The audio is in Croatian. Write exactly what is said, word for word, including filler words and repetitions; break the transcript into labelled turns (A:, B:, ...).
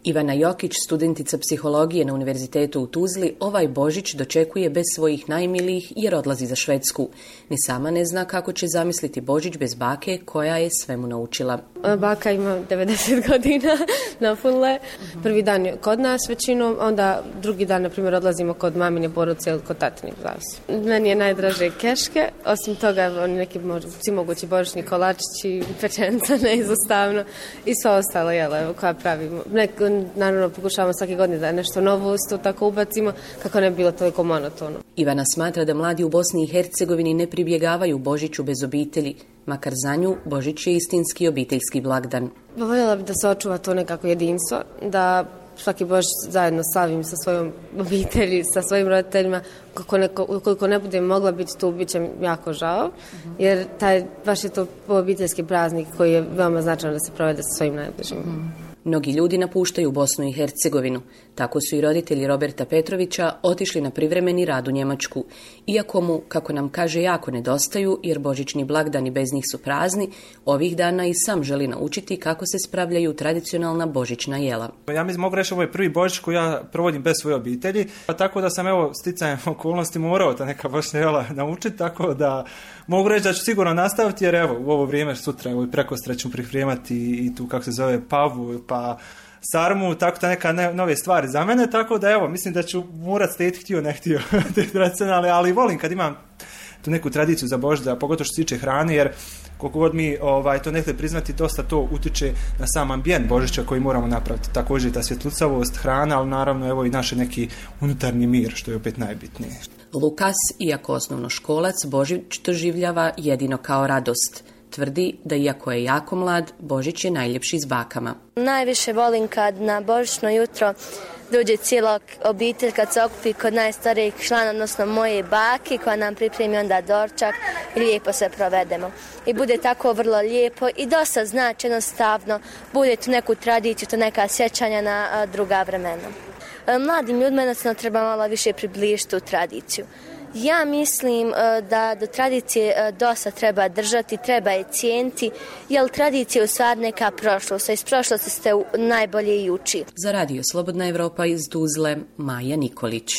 A: Ivana Jokić, studentica psihologije na Univerzitetu u Tuzli, ovaj Božić dočekuje bez svojih najmilijih jer odlazi za Švedsku. Ni sama ne zna kako će zamisliti Božić bez bake koja je svemu naučila.
B: Baka ima devedeset godina na funle. Prvi dan je kod nas većinom, onda drugi dan, na primjer, odlazimo kod mamine porodice ili kod tatine. Meni je najdraže keške, osim toga oni neki svi mogući božićni kolačići, pečenica neizostavno i sve ostalo jelo koja pravimo. Neko, naravno pokušavamo svake godine da nešto novo isto tako ubacimo kako ne bi bilo toliko monotono.
A: Ivana smatra da mladi u Bosni i Hercegovini ne pribjegavaju Božiću bez obitelji, makar za nju Božić je istinski obiteljski blagdan.
B: Voljela bih da se očuva to nekako jedinstvo, da svaki Božić zajedno slavim sa svojom obitelji, sa svojim roditeljima. Kako neko, ukoliko ne budem mogla biti tu, bit će jako žao, jer taj, baš je to obiteljski praznik koji je veoma značajan da se provede sa svojim najbližim. Mm.
A: Mnogi ljudi napuštaju Bosnu i Hercegovinu. Tako su i roditelji Roberta Petrovića otišli na privremeni rad u Njemačku. Iako mu, kako nam kaže, jako nedostaju, jer božićni blagdani bez njih su prazni, ovih dana i sam želi naučiti kako se spravljaju tradicionalna božićna jela.
C: Ja mislim, mogu reći, ovo je prvi Božić koji ja provodim bez svoje obitelji, pa tako da sam, evo, sticajem okolnosti morao ta neka božićna jela naučiti, tako da mogu reći da ću sigurno nastaviti, jer evo, u ovo vrijeme sutra, evo, i prekostra ću pripremati i tu, kako se zove, pavu, pa sarmu, tako da neka ne, nove stvari za mene, tako da evo, mislim da ću morat slijediti htio, ne htio te tradicionalne, ali volim kad imam tu neku tradiciju za Božić, pogotovo što se tiče hrane, jer koliko god mi ovaj, to nekada priznati, dosta to utiče na sam ambijent Božića koji moramo napraviti. Također i ta svjetlucavost, hrana, ali naravno evo i naš neki unutarnji mir, što je opet najbitnije.
A: Lukas, iako osnovnoškolac, Božić doživljava jedino kao radost. Tvrdi da iako je jako mlad, Božić je najljepši s bakama.
D: Najviše volim kad na božićno jutro dođe cijela obitelj, kad se okupi kod najstarijih člana, odnosno moje bake, koja nam pripremi onda dorčak i lijepo se provedemo. I bude tako vrlo lijepo i dosta znači jednostavno, bude tu neku tradiciju, to neka sjećanja na druga vremena. Mladim ljudima jednostavno treba malo više približiti tu tradiciju. Ja mislim da do tradicije dosta treba držati, treba je cijeniti, jer tradicija je u stvari neka prošlost, a iz prošlosti ste najbolje i uči.
A: Za Radio Slobodna Evropa iz Tuzle, Maja Nikolić.